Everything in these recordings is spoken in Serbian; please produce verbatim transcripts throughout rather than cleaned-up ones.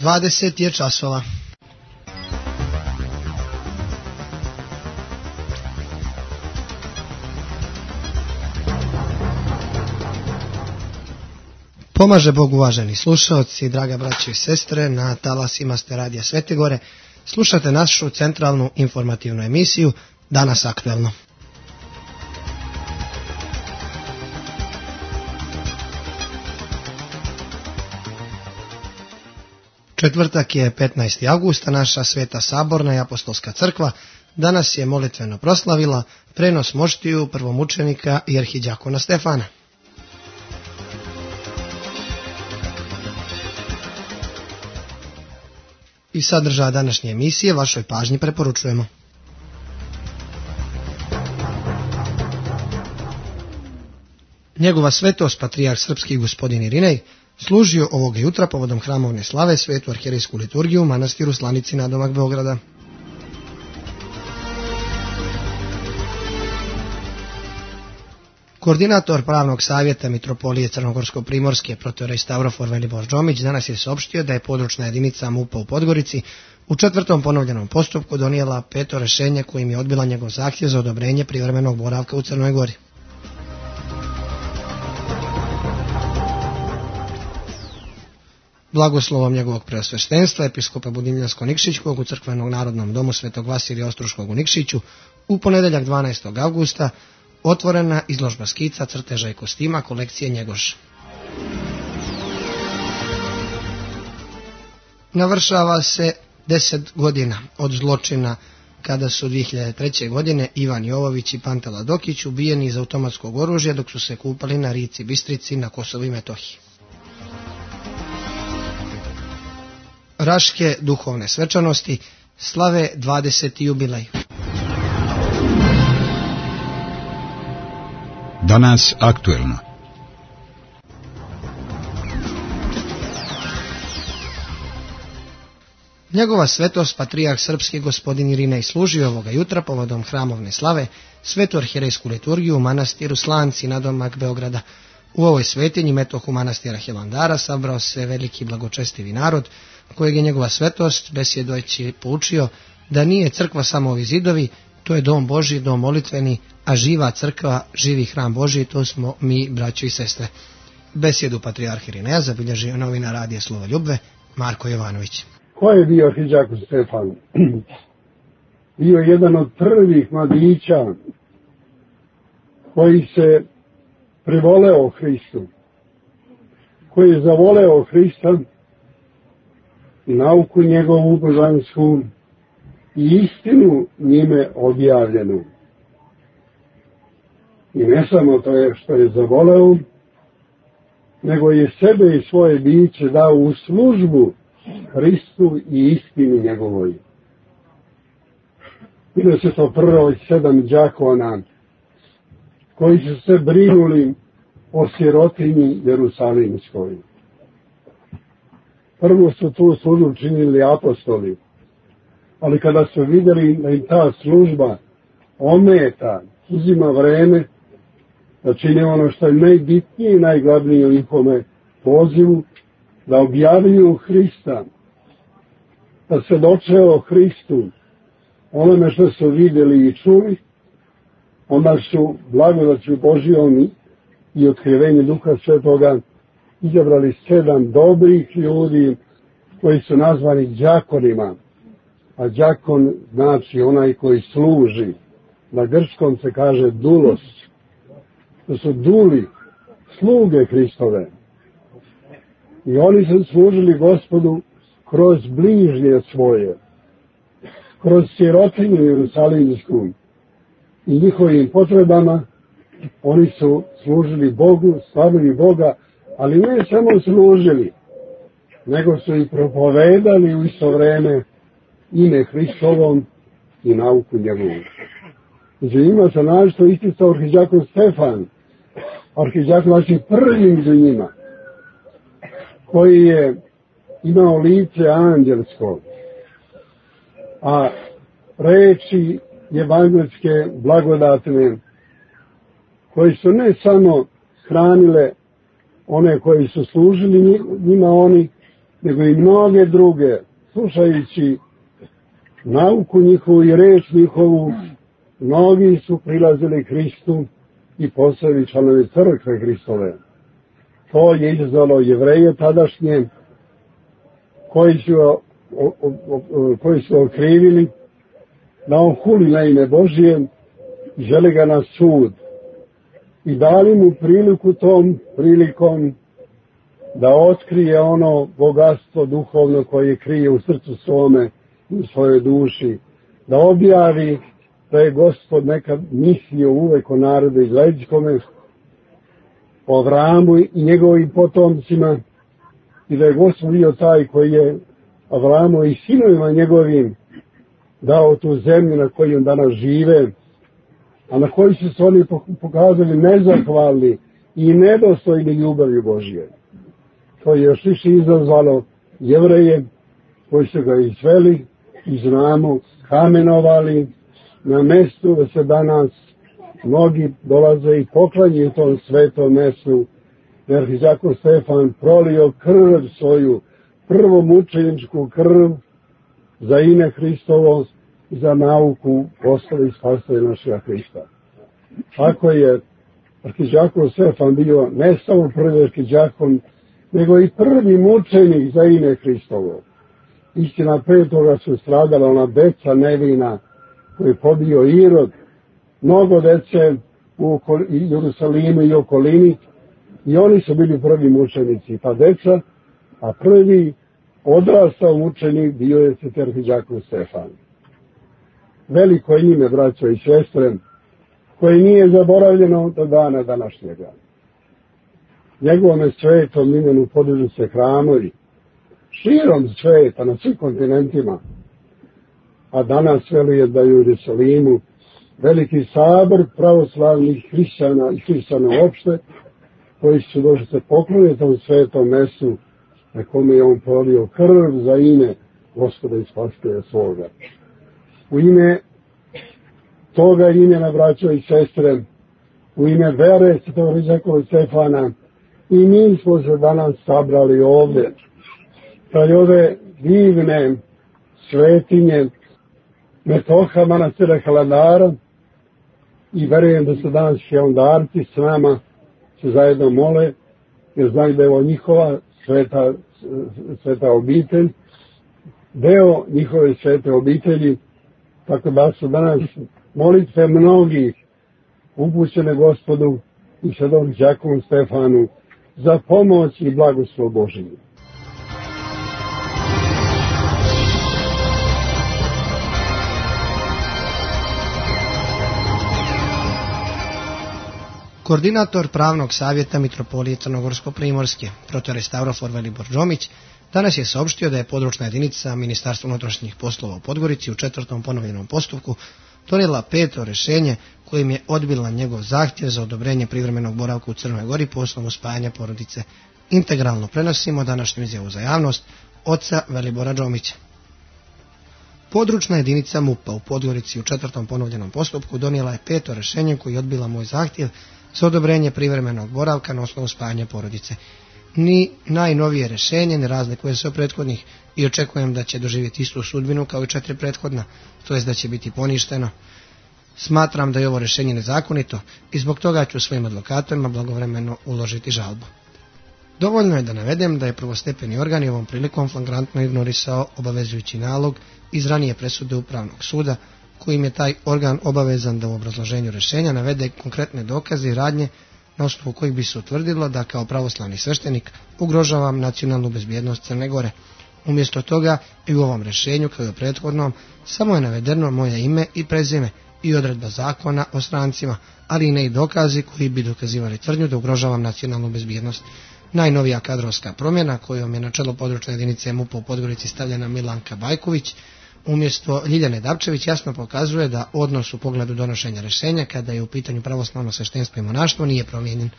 dvadeset je časova. Pomaže Bog, uvaženi slušaoci, draga braćo i sestre, na talasima ste radija Svete Gore. Slušate našu centralnu informativnu emisiju Danas aktuelno. Četvrtak je petnaesti avgust, naša Sveta Saborna i Apostolska crkva danas je molitveno proslavila prenos moštiju prvomučenika i arhidjakona Stefana. I sadržaja današnje emisije vašoj pažnji preporučujemo. Njegova svetost, patrijarh srpski gospodin Irinej, služio ovoga jutra povodom hramovne slave svetu arhijerejsku liturgiju u manastiru Slanici nadomak Beograda. Koordinator pravnog savjeta Mitropolije Crnogorsko-Primorske protoijerej Stavrofor Velibor Džomić danas je saopštio da je područna jedinica MUP-a u Podgorici u četvrtom ponovljenom postupku donijela peto rješenje kojim je odbila njegov zahtjev za odobrenje privremenog boravka u Crnoj Gori. Blagoslovom njegovog preosveštenstva, episkopa Budimljansko-Nikšićkog u crkvenog narodnom domu Svetog Vasilija Ostruškog u Nikšiću, u ponedeljak dvanaestog avgusta otvorena izložba skica, crteža i kostima kolekcije Njegoš. Navršava se deset godina od zločina kada su dvije hiljade treće. godine Ivan Jovović i Pantela Dokić ubijeni iz automatskog oružja dok su se kupali na rici Bistrici na Kosovu i Metohiji. Raške duhovne svečanosti slave dvadeseti jubilej. Danas aktuelno. Njegova svetost, patrijarh srpski gospodin Irinej, služio ovoga jutra povodom hramovne slave svetu arhijerejsku liturgiju u manastiru Slanci nadomak Beograda. U ovoj svetinji metohu manastira Hilandara sabrao se veliki blagočestivi narod, kojeg je njegova svetost besjedujući poučio da nije crkva samo ovi zidovi, to je dom Božji, dom molitveni, a živa crkva, živi hram Božji, to smo mi, braćo i sestre. Besjedu patrijarh Irineja zabilježio novinar radija Slovoljubve Marko Jovanović. Ko je bio arhidjakon Stefan? Bio je jedan od prvih mladića koji se privoleo Hristu, koji je zavoleo Hrista i nauku njegovu božansku i istinu njime objavljenu. I ne samo to je što je zavoleo, nego je sebe i svoje biće dao u službu Hristu i istini njegovoj. Bilo se to prvo sedam đakona koji su se brinuli o sirotinji Jerusalimskoj. Prvo su tu službu činili apostoli, ali kada su vidjeli da im ta služba ometa, uzima vreme da čine ono što je najbitnije i najglavnije u njihome pozivu, da objavljuju Hrista, da se doče o Hristu, onome što su vidjeli i čuli, onda su blagodaću Božjom i otkrivenje Duha Svetoga izabrali sedam dobrih ljudi koji su nazvani đakonima. A đakon znači onaj koji služi. Na grčkom se kaže dulos. To su duli, sluge Hristove. I oni su služili Gospodu kroz bližnje svoje, kroz sirotinju Jerusalimsku i njihovim potrebama. Oni su služili Bogu, slavili Boga, ali ne samo služili, nego su i propovedali u isto vreme ime Hristovom i nauku njegovu. Znači ima se našto isticao arhidjakon Stefan, arhidjakon znači prvi među njima, koji je imao lice anđelsko, a reči evanđelske blagodatne, koji su ne samo hranile one koji su služili njima oni, nego i mnoge druge, slušajući nauku njihovu i reč njihovu, mnogi su prilazili Hristu i postali članovi crkve Hristove. To je izazvalo Jevreje tadašnje, koji su, o, o, o, koji su okrivili da on huli na ime Božije i želi ga na sud. I dali mu priliku tom prilikom da otkrije ono bogatstvo duhovno koje krije u srcu svome i u svojoj duši, da objavi da je Gospod nekad mislio uvek o narodu izraelskome, o Avramu i njegovim potomcima, i da je Gospod bio taj koji je Avramu i sinovima njegovim dao tu zemlju na kojoj danas žive, a na kojoj su se oni pokazali nezahvalni i nedostojni ljubavi Božje. To je još više izazvalo Jevreje koji su ga izveli i znamo kamenovali na mestu da se danas mnogi dolaze i poklanjaju tom svetom mestu, jer Arhiđakon Stefan prolio krv svoju, prvomučeničku krv za ime Hristovo i za nauku postave i spasave našega Hrista. Tako je Arhiđakon Stefan bio ne samo prvi arhiđakon, nego i prvi mučenik za ime Hristovo. Istina, pre toga su stradala ona deca nevina koje je pobio Irod, mnogo dece u Jerusalimu i okolini, i oni su bili prvi mučenici, pa deca, a prvi odrastao mučenik bio je sveti Arhiđakon Stefan. Veliko je ime, braćo i sestre, koje nije zaboravljeno do dana današnjega. Njegovome svetom imenu podižu se hramovi širom sveta, na svim kontinentima, a danas veluje da je u Jerusalimu veliki sabor pravoslavnih hrišćana i hrišćana uopšte, koji su došli se pokloniti u svetom mestu na kome je on prolio krv za ime Gospoda i Spasitelja svoga. U ime toga imena, braćo i sestre, u ime vere svetog Arhiđakona Stefana, i mi smo se danas sabrali ovde, kraj ove divne svetinje Metoha manastira Hilandara, i verujem da su danas hilandarci s nama se zajedno mole, jer znaju da je ovo njihova sveta, sveta obitelj, deo njihove svete obitelji, tako da su danas molitve mnogih upućene Gospodu i svetog Arhiđakonu Stefanu za pomoć i blagoslov Božiju. Koordinator pravnog savjeta Mitropolije Crnogorsko-Primorske, protere Stavrofor Velibor Džomić, danas je saopštio da je područna jedinica Ministarstva unutrašnjih poslova u Podgorici u četvrtom ponovljenom postupku donijela peto rješenje kojim je odbila njegov zahtjev za odobrenje privremenog boravka u Crnoj Gori po osnovu spajanja porodice. Integralno prenosimo današnju izjavu za javnost oca Velibora Džomića. Područna jedinica MUP-a u Podgorici u četvrtom ponovljenom postupku donijela je peto rješenje koji je odbila moj zahtjev za odobrenje privremenog boravka na osnovu spajanja porodice. Ni najnovije rješenje ne razlikuje se od prethodnih i očekujem da će doživjeti istu sudbinu kao i četiri prethodna, to jest da će biti poništeno. Smatram da je ovo rješenje nezakonito i zbog toga ću svojim advokatorima blagovremeno uložiti žalbu. Dovoljno je da navedem da je prvostepeni organ i ovom prilikom flagrantno ignorisao obavezujući nalog iz ranije presude Upravnog suda, kojim je taj organ obavezan da u obrazloženju rješenja navede konkretne dokaze i radnje na osnovu kojih bi se utvrdilo da kao pravoslavni sveštenik ugrožavam nacionalnu bezbjednost Crne Gore. Umjesto toga i u ovom rješenju kao i u prethodnom samo je navedeno moje ime i prezime i odredba zakona o strancima, ali i ne i dokazi koji bi dokazivali tvrdnju da ugrožavam nacionalnu bezbjednost. Najnovija kadrovska promjena kojom je na čelo područne jedinice MUP-a u Podgorici stavljena Milanka Bajković umjesto Ljiljane Dapčević jasno pokazuje da odnos u pogledu donošenja rješenja kada je u pitanju pravoslavno sveštenstvo i monaštvo nije promijenjen.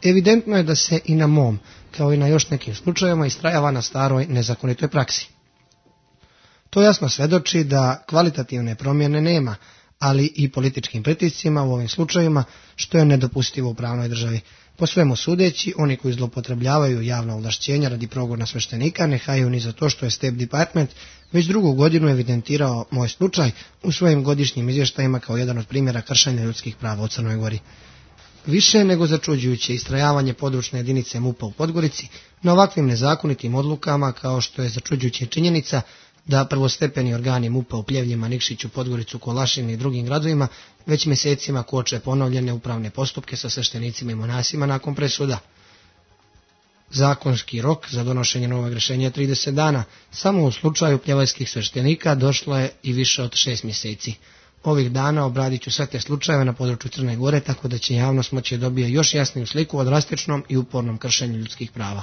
Evidentno je da se i na mom, kao i na još nekim slučajevima, istrajava na staroj nezakonitoj praksi. To jasno svedoči da kvalitativne promjene nema, ali i političkim pritiscima u ovim slučajevima, što je nedopustivo u pravnoj državi. Po svemu sudeći, oni koji zloupotrebljavaju javna ovlašćenja radi progona sveštenika ne haju ni za to što je State Department već drugu godinu evidentirao moj slučaj u svojim godišnjim izvještajima kao jedan od primjera kršenja ljudskih prava u Crnoj Gori. Više nego začuđujuće istrajavanje područne jedinice M U P-a u Podgorici na ovakvim nezakonitim odlukama, kao što je začuđujuća činjenica da prvostepeni organi M U P-a u Pljevljima, Nikšiću, Podgoricu, Kolašini i drugim gradovima već mjesecima koče ponovljene upravne postupke sa sveštenicima i monasima nakon presuda. Zakonski rok za donošenje novog rješenja je trideset dana, samo u slučaju pljevajskih sveštenika došlo je i više od šest mjeseci. Ovih dana obradit ću sve te slučajeve na području Crne Gore, tako da će javnost moći dobije još jasniju sliku o drastičnom i upornom kršenju ljudskih prava.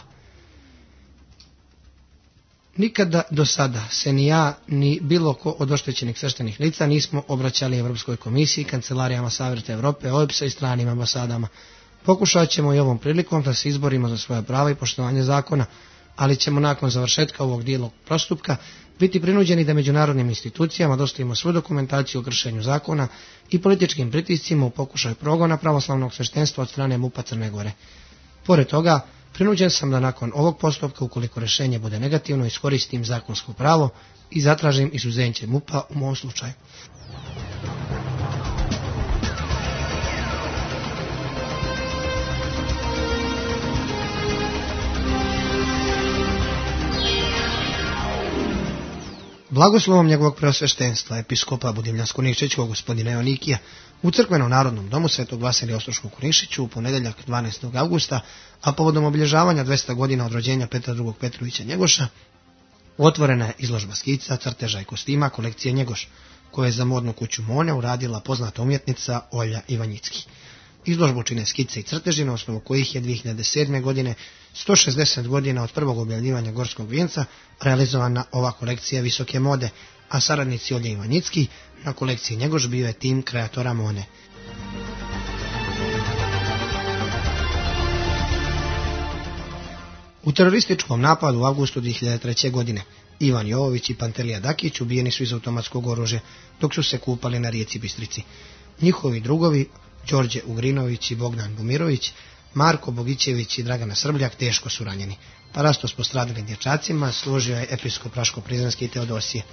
Nikada do sada se ni ja, ni bilo ko od oštećenih sveštenih lica nismo obraćali Europskoj komisiji, kancelarijama Savjeta Europe, O E B S-a i stranim ambasadama. Pokušat ćemo i ovom prilikom da se izborimo za svoje prava i poštovanje zakona, ali ćemo nakon završetka ovog dijelog postupka biti prinuđeni da međunarodnim institucijama dostavimo svu dokumentaciju o kršenju zakona i političkim pritiscima u pokušaju progona pravoslavnog sveštenstva od strane M U P-a Crne Gore. Pored toga, prinuđen sam da nakon ovog postupka, ukoliko rješenje bude negativno, iskoristim zakonsko pravo i zatražim izuzeće M U P-a u mom slučaju. Blagoslovom njegovog preosveštenstva, episkopa Budimljansko-Nikšićkog gospodina Jonikija, u crkvenom narodnom domu Svetog Vasilija Ostroškog u Nikšiću u ponedjeljak dvanaestog avgusta, a povodom obilježavanja dvesta godina od rođenja Petra drugog Petrovića Njegoša, otvorena je izložba skica, crteža i kostima kolekcije Njegoš, koje je za modnu kuću Mone uradila poznata umjetnica Olja Ivanjicki. Izložbu čine skice i crteži, na osnovu kojih je dvije hiljade sedme. godine, sto šezdeset godina od prvog objavljivanja Gorskog vijenca, realizovana ova kolekcija visoke mode, a saradnici Olje Ivanjicki na kolekciji Njegoš bio je tim kreatora Mone. U terorističkom napadu u avgustu dvije hiljade treće. godine Ivan Jovović i Pantelija Dakić ubijeni su iz automatskog oružja dok su se kupali na rijeci Bistrici. Njihovi drugovi Đorđe Ugrinović i Bogdan Bumirović, Marko Bogićević i Dragana Srbljak teško su ranjeni. Parastos postradalim dječacima služio je episkop Raško-Prizrenski i Teodosije.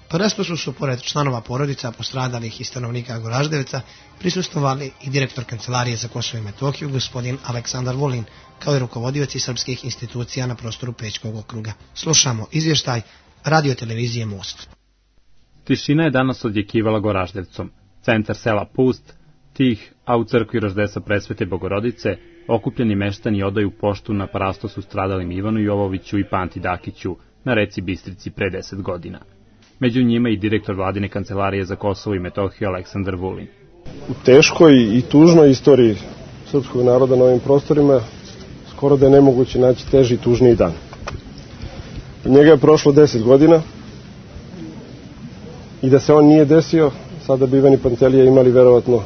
Parastosu su, pored članova porodica postradalih i stanovnika Goraždevca, prisustvovali i direktor Kancelarije za Kosovo i Metohiju, gospodin Aleksandar Vulin, kao i rukovodioci srpskih institucija na prostoru Pećkog okruga. Slušamo izvještaj radiotelevizije Most. Tišina je danas odjekivala Goraždevcom. Centar sela pust, tih, a u crkvi Roždesa Presvete Bogorodice okupljeni meštani odaju poštu na parastosu stradalim Ivanu Jovoviću i Panti Dakiću na reci Bistrici pre deset godina. Među njima i direktor vladine Kancelarije za Kosovo i Metohiju Aleksandar Vulin. U teškoj i tužnoj istoriji srpskog naroda na ovim prostorima skoro da je nemoguće naći teži i tužniji dan. Od njega je prošlo deset godina i da se on nije desio, sada bi Ivan i Pantelija imali verovatno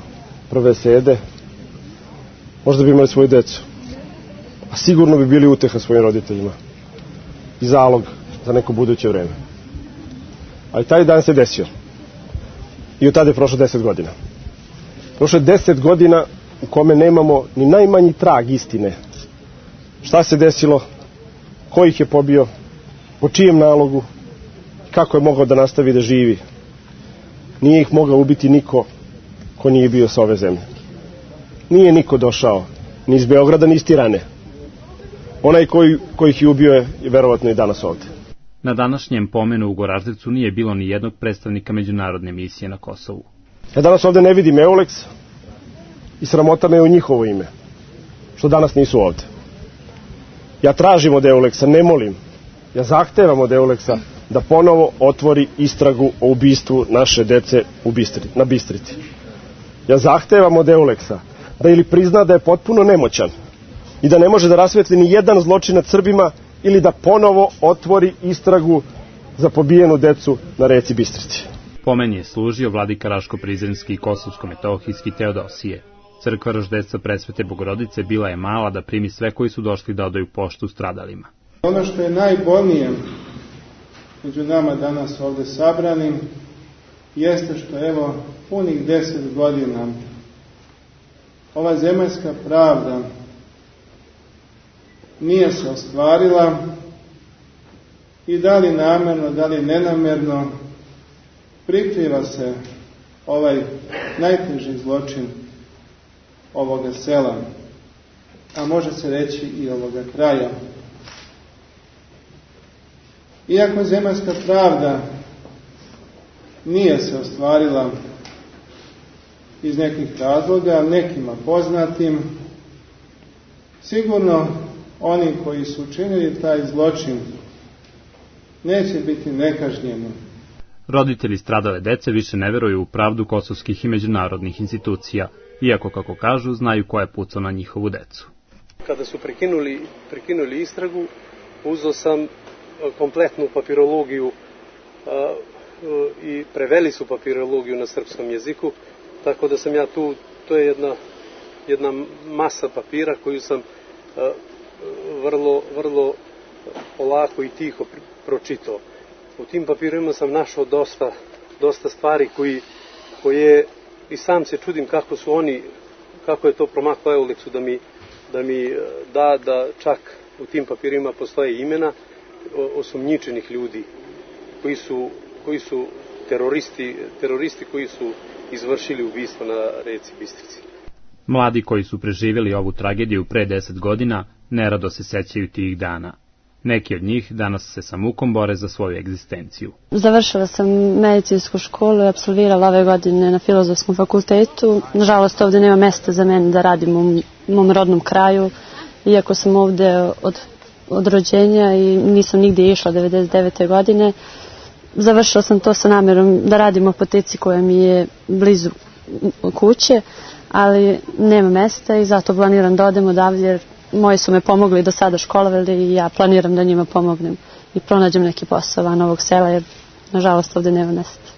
prve sede, možda bi imali svoju decu, a sigurno bi bili uteha svojim roditeljima i zalog za neko buduće vreme. Ali taj dan se desio i od tada je prošlo deset godina. Prošlo je deset godina u kome nemamo ni najmanji trag istine. Šta se desilo, ko ih je pobio, po čijem nalogu, kako je mogao da nastavi da živi. Nije ih mogao ubiti niko ko nije bio sa ove zemlje. Nije niko došao ni iz Beograda, ni iz Tirane. Onaj koji, koji ih je ubio je, je verovatno i danas ovde. Na današnjem pomenu u Goraždevcu nije bilo ni jednog predstavnika međunarodne misije na Kosovu. Ja danas ovde ne vidim Euleks i sramota me u njihovo ime, što danas nisu ovde. Ja tražim od Euleksa, ne molim, ja zahtevam od Euleksa da ponovo otvori istragu o ubistvu naše dece u Bistri, na Bistrici. Ja zahtevam od Euleksa da ili prizna da je potpuno nemoćan i da ne može da rasvetli ni jedan zločin nad Srbima, ili da ponovo otvori istragu za pobijenu decu na reci Bistrici. Pomen je služio vladika Raško-Prizrenski i Kosovsko-Metohijski Teodosije. Crkva Roždeca Presvete Bogorodice bila je mala da primi sve koji su došli da odaju poštu stradalima. Ono što je najbolnije među nama danas ovde sabranim jeste što evo punih deset godina ova zemaljska pravda nije se ostvarila i da li namerno, da li nenamerno prikriva se ovaj najteži zločin ovoga sela, a može se reći i ovoga kraja. Iako zemaljska pravda nije se ostvarila iz nekih razloga, nekima poznatim, sigurno oni koji su učinili taj zločin neće biti nekažnjeni. Roditelji stradale dece više ne veruju u pravdu kosovskih i međunarodnih institucija, iako, kako kažu, znaju ko je pucao na njihovu decu. Kada su prekinuli, prekinuli istragu, uzeo sam kompletnu papirologiju a, i preveli su papirologiju na srpskom jeziku, tako da sam ja tu, to je jedna, jedna masa papira koju sam a, vrlo, vrlo polako i tiho pročitao. U tim papirima sam našao dosta, dosta stvari koji, koje i sam se čudim kako su oni, kako je to promaklo Euleksu da mi, da mi da da čak u tim papirima postoje imena osumnjičenih ljudi koji su, koji su teroristi, teroristi koji su izvršili ubistvo na reci Bistrici. Mladi koji su preživjeli ovu tragediju pre deset godina nerado se sećaju tih dana. Neki od njih danas se sa mukom bore za svoju egzistenciju. Završila sam medicinsku školu i apsolvirala ove godine na Filozofskom fakultetu. Nažalost, ovdje nema mesta za mene da radim u mom rodnom kraju, iako sam ovdje od, od rođenja i nisam nigdje išla devedeset devete godine. Završila sam to sa namjerom da radim u apoteci koja mi je blizu kuće, ali nema mesta i zato planiram da odem odavdje, jer moji su me pomogli do sada školovali i ja planiram da njima pomognem i pronađem neki posao van ovog sela, jer nažalost ovdje nema mesta.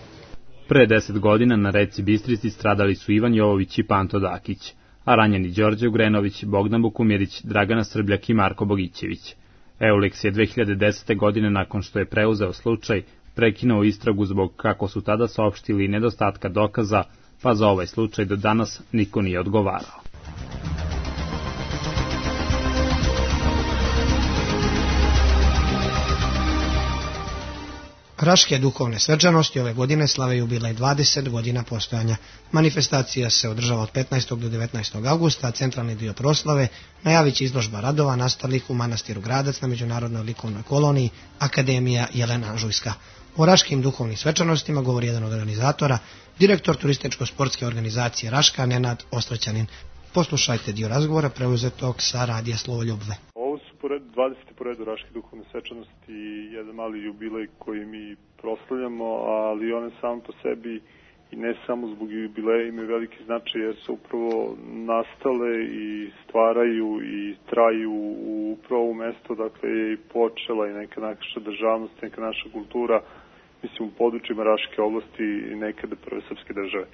Pre deset godina na reci Bistrici stradali su Ivan Jovović i Panto Dakić, a ranjeni Đorđe Ugrenović, Bogdan Bukumirić, Dragana Srbljak i Marko Bogićević. Euleks je dve hiljade desete. godine, nakon što je preuzeo slučaj, prekinuo istragu zbog, kako su tada saopštili, nedostatka dokaza, pa za ovaj slučaj do danas niko nije odgovarao. Raške duhovne svečanosti ove godine slave jubilej dvadeset godina postojanja. Manifestacija se održava od petnaestog do devetnaestog avgusta, a centralni dio proslave najavit će izložba radova nastalih u manastiru Gradac na Međunarodnoj likovnoj koloniji Akademija Jelena Anžujska. O Raškim duhovnim svečanostima govori jedan od organizatora, direktor turističko-sportske organizacije Raška, Nenad Ostraćanin. Poslušajte dio razgovora preuzetog sa radija Slovo Ljubve. Ovo su dvadesete po redu Raške duhovne svečanosti, jedan mali jubilej koji mi proslavljamo, ali one samo po sebi i ne samo zbog jubileja imaju veliki značaj, jer su upravo nastale i stvaraju i traju u upravo u mesto, dakle je i počela i neka naša državnost, neka naša kultura, mislim u područjima Raške oblasti i nekada prve srpske države.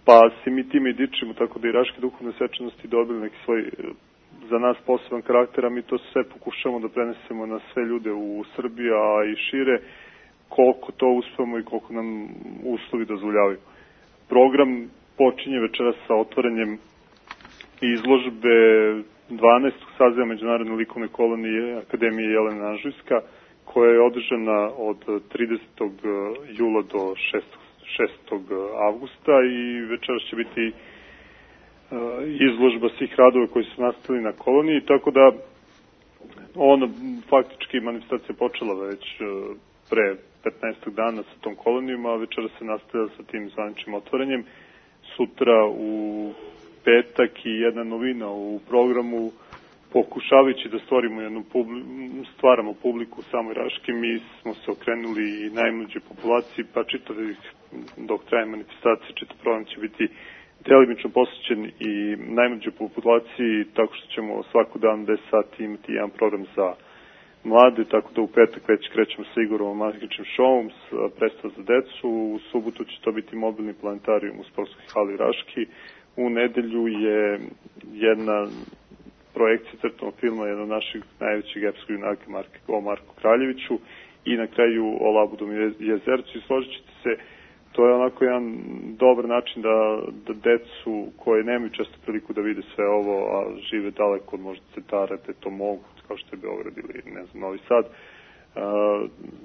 Pa se mi time i dičimo, tako da i Raške duhovne svečanosti dobili neki svoj za nas poseban karakter, a mi to sve pokušamo da prenesemo na sve ljude u Srbiji, a i šire, koliko to uspemo i koliko nam uslovi dozvoljavaju. Program počinje večeras sa otvaranjem izložbe dvanaestog saziva Međunarodne likovne kolonije Akademije Jelena Anžujska, koja je održana od tridesetog jula do šestog avgusta i večeras će biti izložba svih radova koji su nastali na koloniji, tako da ona faktički manifestacija počela već pre petnaest dana sa tom kolonijom, a večera se nastavlja sa tim zvaničnim otvaranjem. Sutra u petak i jedna novina u programu, pokušavajući da stvorimo jednu publi, stvaramo publiku u samoj Raški, mi smo se okrenuli i najmlađoj populaciji, pa čitavih dok traje manifestacija, čitav program će biti delimično posvećen i najmlađoj populaciji, tako što ćemo svaku dan deset sati imati jedan program za mlade, tako da u petak već krećemo sa Igorovom magičnim šovom, predstav za decu, u subotu će to biti mobilni planetarijum u sportskoj hali Raški, u nedelju je jedna projekcija crtanog filma jednog naših najvećih epskog junaka o Marku Kraljeviću i na kraju o Labudom jezercu i složit ćete se, to je onako jedan dobar način da, da decu koje nemaju često priliku da vide sve ovo, a žive daleko od možda centara, gde to mogu, kao što je Beograd ili ne znam, Novi Sad,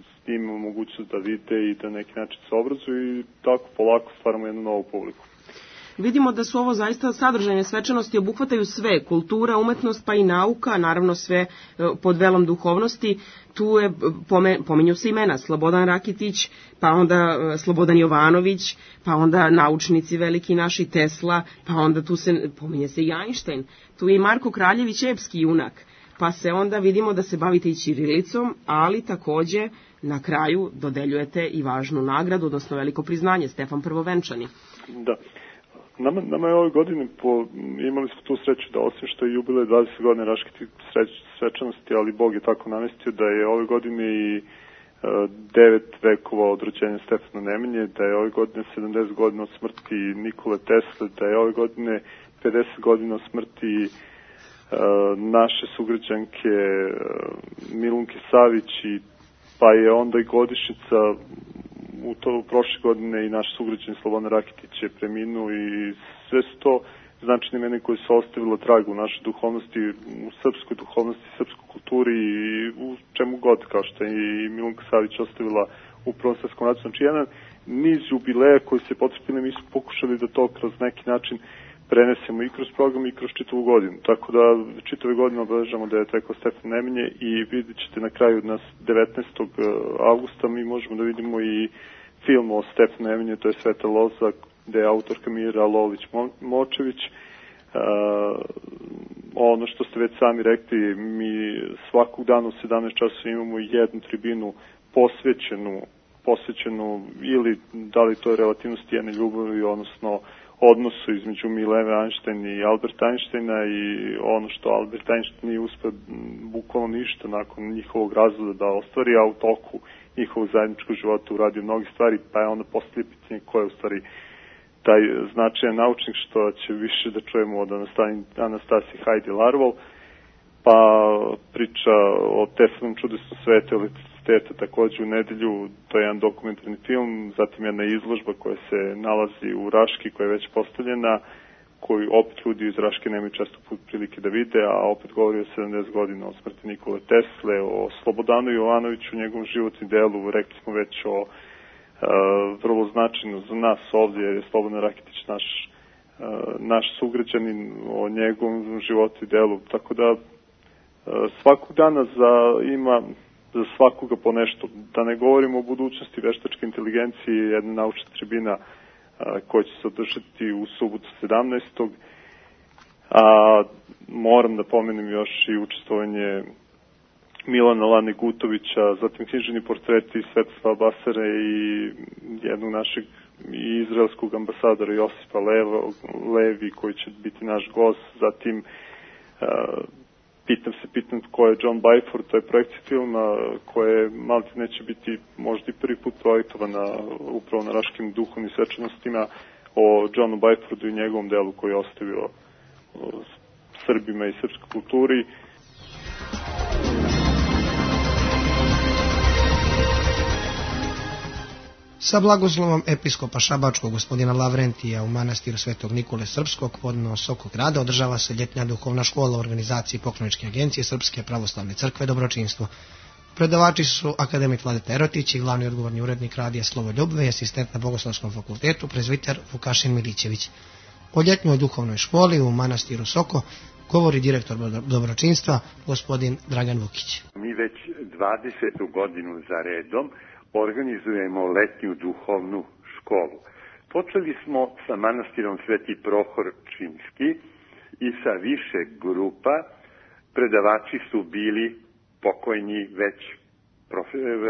s njim mogućnost da vide i da neki način se obrazuju i tako polako stvaramo jednu novu publiku. Vidimo da su ovo zaista sadržajne svečanosti, obuhvataju sve, kultura, umetnost pa i nauka, naravno sve pod velom duhovnosti. Tu je, pominju se imena, Slobodan Rakitić, pa onda Slobodan Jovanović, pa onda naučnici veliki naši, Tesla, pa onda tu se pominje se i Einstein, tu je i Marko Kraljević, epski junak, pa se onda vidimo da se bavite i ćirilicom, ali takođe na kraju dodeljujete i važnu nagradu, odnosno veliko priznanje, Stefan Prvovenčani. Da. Nama, nama je ove godine po, imali smo tu sreću da osim što je jubilej dvadeset godina Raške svečanosti, ali Bog je tako namestio da je ove godine i e, devet vekova od rođenja Stefana Nemanje, da je ove godine sedamdeset godina od smrti Nikole Tesle, da je ove godine pedeset godina od smrti e, naše sugrađanke e, Milunke Savić, i, pa je onda i godišnjica u to prošle godine i naš sugrađan Slobodan Rakitić je preminuo, i sve su to značajne imena koje su ostavila trag u našoj duhovnosti, u srpskoj duhovnosti, srpskoj kulturi i u čemu god, kao što je i Milunka Savić ostavila u Prvom svetskom ratu. Znači, jedan niz jubileja koji se potrebili, mi smo pokušali da to kroz neki način prenesemo i kroz program i kroz čitavu godinu. Tako da čitave godine obeležamo da je tekao Stefan Nemanje, i vidjet ćete na kraju nas devetnaestog avgusta mi možemo da vidimo i film o Stefanu Nemanji, to je Sveta loza, gde je autorka Mira Lović-Močević. Uh, ono što ste već sami rekli, mi svakog dana u sedamnaest časova imamo jednu tribinu posvećenu, posvećenu ili da li to je relativnosti jedne ljubavi, odnosno odnosu između Mileve Einstein i Alberta Einsteina, i ono što Albert Einstein nije uspeo bukvalno ništa nakon njihovog razvoda da ostvari, a u toku njihovog zajedničkog života uradio mnogi stvari, pa je onda postavlja pitanje ko je u stvari taj značajan naučnik, što će više da čujemo od Anastasije Heidi Larval, pa priča o Teslanom čudesnom svetu elektriciteta takođe u nedelju, to je jedan dokumentarni film, zatim jedna izložba koja se nalazi u Raški, koja je već postavljena, koju opet ljudi iz Raške nemaju često put prilike da vide, a opet govori o sedamdeset godina od smrti Nikole Tesle, o Slobodanu Jovanoviću, njegovom životnom delu, rekli smo već o uh, vrlo značajno za nas ovdje, jer je Slobodan Rakitić naš, uh, naš sugrađanin, o njegovom životu i delu, tako da uh, svakog dana za, ima za svakoga po nešto. Da ne govorimo o budućnosti veštačke inteligencije, jedna naučna tribina koja će se održati u subotu sedamnaestog A moram da pomenem još i učestvovanje Milana Lane Gutovića, zatim književni portreti Svetoslava Basare i jednog našeg i izraelskog ambasadora Josipa Leva, Levi, koji će biti naš gost, zatim uh, pitam se, pitam ko je John Byford, to je projekcija filma koje malo neće biti možda i prvi put projektovana upravo na Raškim duhovnim svečanostima, o Johnu Byfordu i njegovom delu koji je ostavio Srbima i srpskoj kulturi. Sa blagoslovom episkopa Šabačkog gospodina Lavrentija u manastiru Svetog Nikole Srpskog podno Sokog grada održava se ljetna duhovna škola u organizaciji Pokloničke agencije Srpske pravoslavne crkve Dobročinstvo. Predavači su akademik Vladeta Erotić i glavni odgovorni urednik radija Slovoljub i asistent na Bogoslovskom fakultetu prezviter Vukašin Milićević. O ljetnjoj duhovnoj školi u manastiru Soko govori direktor Dobročinstva gospodin Dragan Vukić. Mi već dvadesetu godinu za redom organizujemo letnju duhovnu školu. Počeli smo sa manastirom Sveti Prohor Čimski i sa više grupa. Predavači su bili pokojni već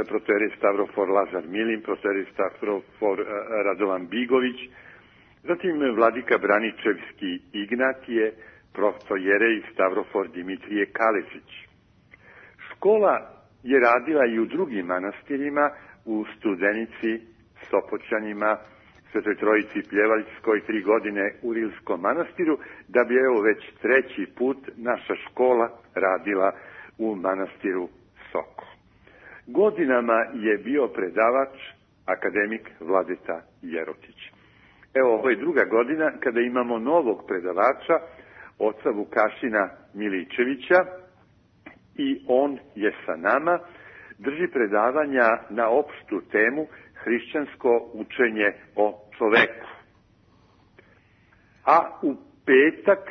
protojerej Stavrofor Lazar Milin, protojerej Stavrofor Radovan Bigović, zatim vladika Braničevski Ignatije, protojerej Stavrofor Dimitrije Kalezić. Škola je radila i u drugim manastirima, u Studenici, Sopoćanima, Svetoj Trojici Pljevaljskoj, tri godine u Rilskom manastiru, da bi evo već treći put naša škola radila u manastiru Soko. Godinama je bio predavač akademik Vladeta Jerotić. Evo, ovo je druga godina kada imamo novog predavača, oca Vukašina Milićevića, i On je sa nama, drži predavanja na opštu temu hrišćansko učenje o čoveku. A u petak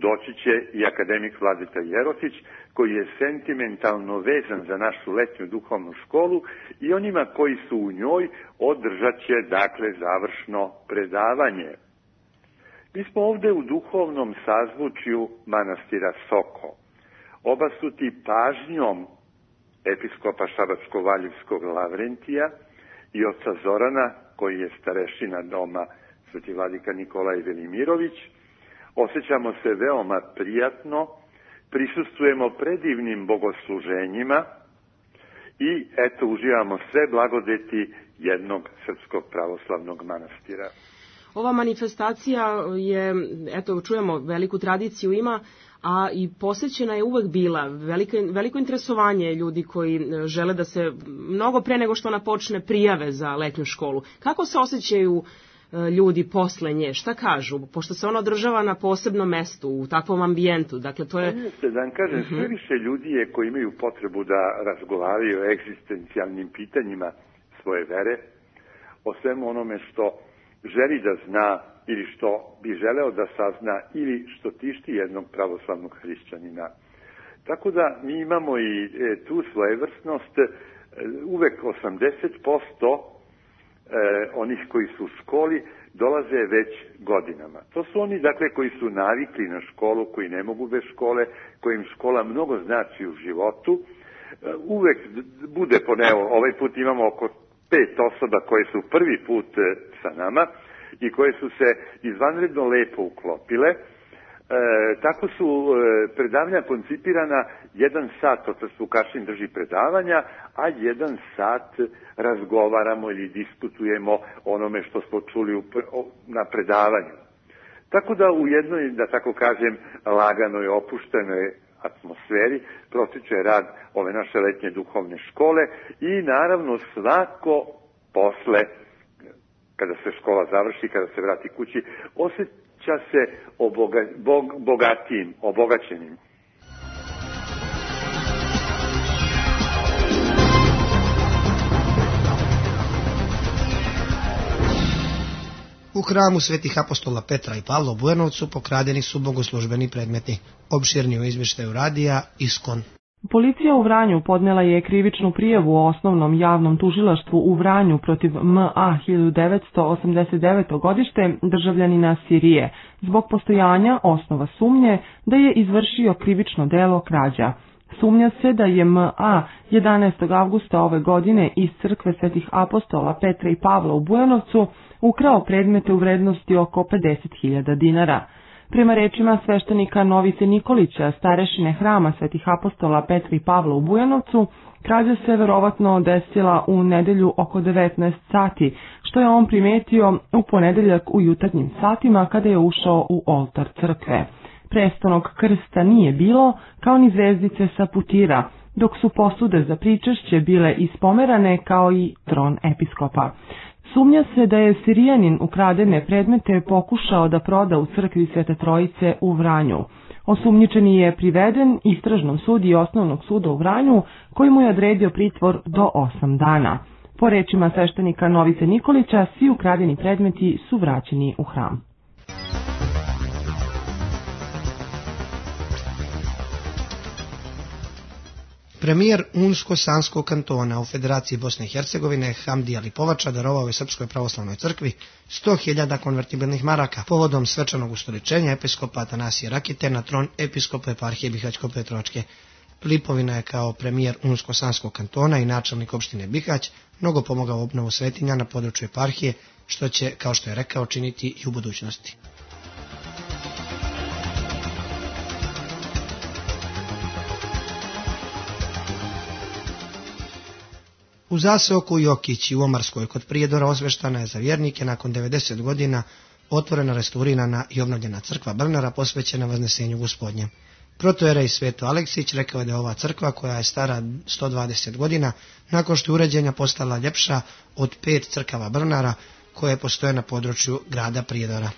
doći će i akademik Vladeta Jerotić, koji je sentimentalno vezan za našu letnju duhovnu školu i onima koji su u njoj održat će, dakle, završno predavanje. Mi smo ovde u duhovnom sazvučju manastira Soko, obasuti pažnjom episkopa Šabačko-Valjevskog Lavrentija i oca Zorana, koji je starešina doma Sveti vladika Nikolaj Velimirović. Osjećamo se veoma prijatno, prisustvujemo predivnim bogosluženjima i eto uživamo sve blagodeti jednog srpskog pravoslavnog manastira. Ova manifestacija je, eto, čujemo, veliku tradiciju ima, a i posvećena je uvek bila. Veliko, veliko interesovanje ljudi koji žele da se mnogo pre nego što ona počne prijave za letnju školu. Kako se osjećaju ljudi posle nje, šta kažu, pošto se ona održava na posebnom mestu, u takvom ambijentu, dakle to je... Jeste, da vam kažem, sve više ljudi je koji imaju potrebu da razgovaraju o egzistencijalnim pitanjima svoje vere, o svemu onome što želi da zna ili što bi želeo da sazna ili što tišti jednog pravoslavnog hrišćanina. Tako da mi imamo i e, tu svojevrsnost, e, uvek osamdeset posto E, onih koji su u školi dolaze već godinama. To su oni, dakle, koji su navikli na školu, koji ne mogu bez škole, kojim škola mnogo znači u životu. E, uvek bude, po evo, ovaj put imamo oko pet osoba koje su prvi put e, sa nama i koje su se izvanredno lepo uklopile. E, tako su e, predavanja koncipirana, jedan sat otac Vukašin drži predavanja, a jedan sat razgovaramo ili diskutujemo onome što smo čuli u, na predavanju. Tako da u jednoj, da tako kažem, laganoj, opuštenoj atmosferi protiče rad ove naše letnje duhovne škole i naravno svako posle, kada se škola završi, kada se vrati kući, osjeća se oboga, bog, bogatijim, obogaćenim. U hramu svetih apostola Petra i Pavla u Bujanovcu pokradeni su bogoslužbeni predmeti. Opširni u izvještaju radija Iskon. Policija u Vranju podnela je krivičnu prijavu o osnovnom javnom tužilaštvu u Vranju protiv M A hiljadu devetsto osamdeset deveto godište državljanina Sirije zbog postojanja osnova sumnje da je izvršio krivično delo krađa. Sumnja se da je M A jedanaestog avgusta ove godine iz crkve svetih apostola Petra i Pavla u Bujanovcu ukrao predmete u vrednosti oko pedeset hiljada dinara. Prema rečima sveštenika Novice Nikolića, starešine hrama svetih apostola Petra i Pavla u Bujanovcu, krađa se verovatno desila u nedelju oko devetnaest sati, što je on primetio u ponedeljak u jutarnjim satima kada je ušao u oltar crkve. Prestanog krsta nije bilo, kao ni zvezdice sa putira, dok su posude za pričešće bile ispomerane kao i tron episkopa. Sumnja se da je Sirijanin ukradene predmete pokušao da proda u crkvi Svete Trojice u Vranju. Osumnjičeni je priveden istražnom sudiji Osnovnog suda u Vranju, koji mu je odredio pritvor do osam dana. Po rečima sveštenika Novice Nikolića, svi ukradeni predmeti su vraćeni u hram. Premijer Unsko-Sanskog kantona u Federaciji Bosne i Hercegovine Hamdija Lipovača darovao je Srpskoj pravoslavnoj crkvi sto hiljada konvertibilnih maraka povodom svečanog ustoličenja episkopa Atanasije Rakite na tron episkopa eparhije Bihać-Petrovačke. Lipovina je kao premijer Unsko-Sanskog kantona i načelnik opštine Bihać mnogo pomogao u obnovu svetinja na području eparhije, što će, kao što je rekao, činiti i u budućnosti. U zaseoku Jokić i u Omarskoj kod Prijedora osveštana je za vjernike nakon devedeset godina otvorena, restaurirana i obnovljena crkva Brnara posvećena Vaznesenju Gospodnjem. Protojerej Sveto Aleksić rekao je da je ova crkva, koja je stara sto dvadeset godina, nakon što je uređenja postala ljepša od pet crkava Brnara koje postoje na području grada Prijedora.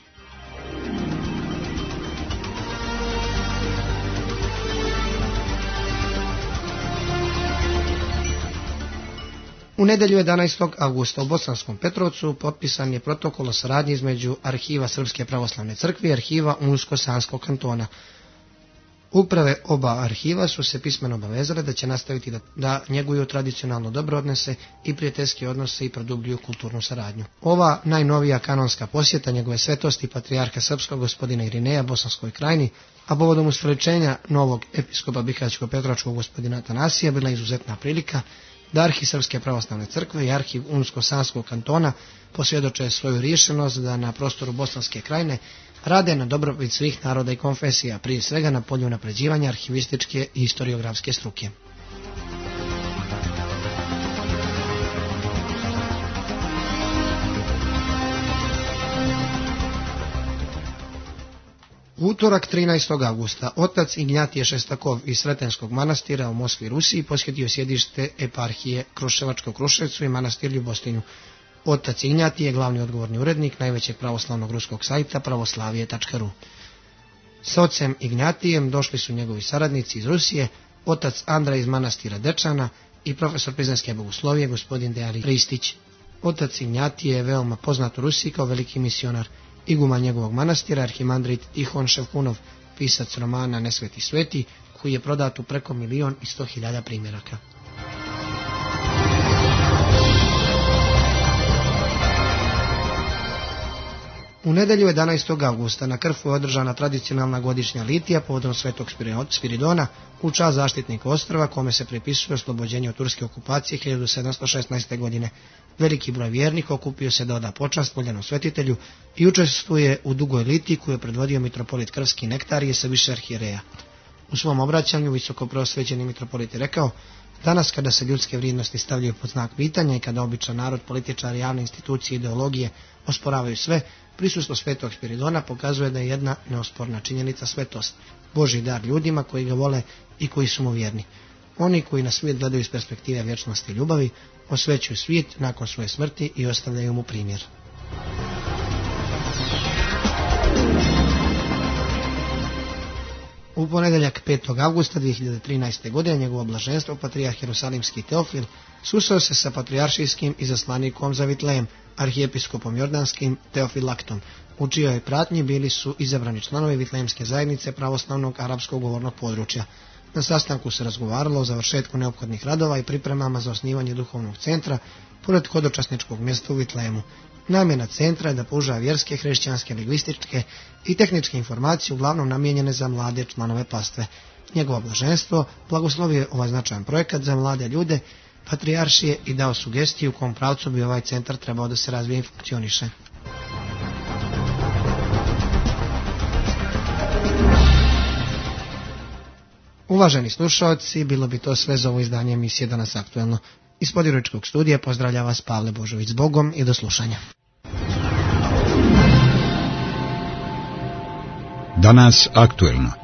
U nedelju jedanaestog avgusta u Bosanskom Petrovcu potpisan je protokol o saradnji između Arhiva Srpske pravoslavne crkve i Arhiva Unsko-Sanskog kantona. Uprave oba arhiva su se pismeno obavezale da će nastaviti da, da njeguju tradicionalno dobro odnose i prijateljske odnose i produbljuju kulturnu saradnju. Ova najnovija kanonska posjeta njegove svetosti patrijarha srpskog gospodina Irineja Bosanskoj krajini, a povodom ustoličenja novog episkopa Bihaćko-Petrovačkog gospodina Atanasija bila izuzetna prilika da Arhiv Srpske pravoslavne crkve i Arhiv Unsko-Sanskog kantona posvjedoče svoju rješenost da na prostoru Bosanske krajine rade na dobrobit svih naroda i konfesija, prije svega na polju unapređivanja arhivističke i historiografske struke. U utorak trinaestog avgusta otac Ignjatije Šestakov iz Sretenskog manastira u Moskvi, Rusiji, posjetio sjedište eparhije Kruševačka u Kruševcu i manastir Ljubostinju. Otac Ignjatije je glavni odgovorni urednik najvećeg pravoslavnog ruskog sajta pravoslavije tačka ru. S ocem Ignjatijem došli su njegovi saradnici iz Rusije, otac Andra iz manastira Dečana i profesor Prizrenske bogoslovije gospodin Dejan Ristić. Otac Ignjatije je veoma poznat u Rusiji kao veliki misionar. Iguman njegovog manastira, arhimandrit Tihon Ševkunov, pisac romana Nesveti sveti, koji je prodat u preko milion i sto hiljada primjeraka. U nedelju jedanaestog avgusta na Krfu je održana tradicionalna godišnja litija povodom Svetog Spiridona u čast zaštitnika ostrva, kome se pripisuje oslobođenje od turske okupacije hiljadu sedamsto šesnaeste. godine. Veliki broj vjernika okupio se da oda počast voljenom svetitelju i učestvuje u dugoj litiji koju je predvodio mitropolit Krfski Nektarije sa više arhijereja. U svom obraćanju visoko preosvećeni mitropolit je rekao: danas kada se ljudske vrijednosti stavljaju pod znak pitanja i kada običan narod, političari, javne institucije i ideologije osporavaju sve, prisustvo Svetog Spiridona pokazuje da je jedna neosporna činjenica svetost, Božji dar ljudima koji ga vole i koji su mu vjerni. Oni koji na svijet gledaju iz perspektive vječnosti i ljubavi, osvećuju svijet nakon svoje smrti i ostavljaju mu primjer. U ponedjeljak petog avgusta dvije hiljade trinaeste. godine njegovo blaženstvo patrijarh Jerusalimski Teofil susreo se sa patrijaršijskim izaslanikom za Vitlejem, arhijepiskopom jordanskim Teofilaktom, u čijoj pratnji bili su izabrani članovi Vitlejemske zajednice pravoslavnog arapskog govornog područja. Na sastanku se razgovaralo o završetku neophodnih radova i pripremama za osnivanje duhovnog centra pored hodočasničkog mjesta u Vitlejemu. Namjena centra je da pruža vjerske, hrišćanske, lingvističke i tehničke informacije uglavnom namijenjene za mlade članove pastve. Njegovo blaženstvo blagoslovio je ovaj značajan projekat za mlade ljude patrijaršije i dao sugestiju u kom pravcu bi ovaj centar trebao da se razvije i funkcioniše. Uvaženi slušalci, bilo bi to sve za ovo izdanje emisije Danas aktuelno. Iz Podjeričkog studija pozdravlja vas Pavle Božović. S Bogom i do slušanja. Danas aktuelno.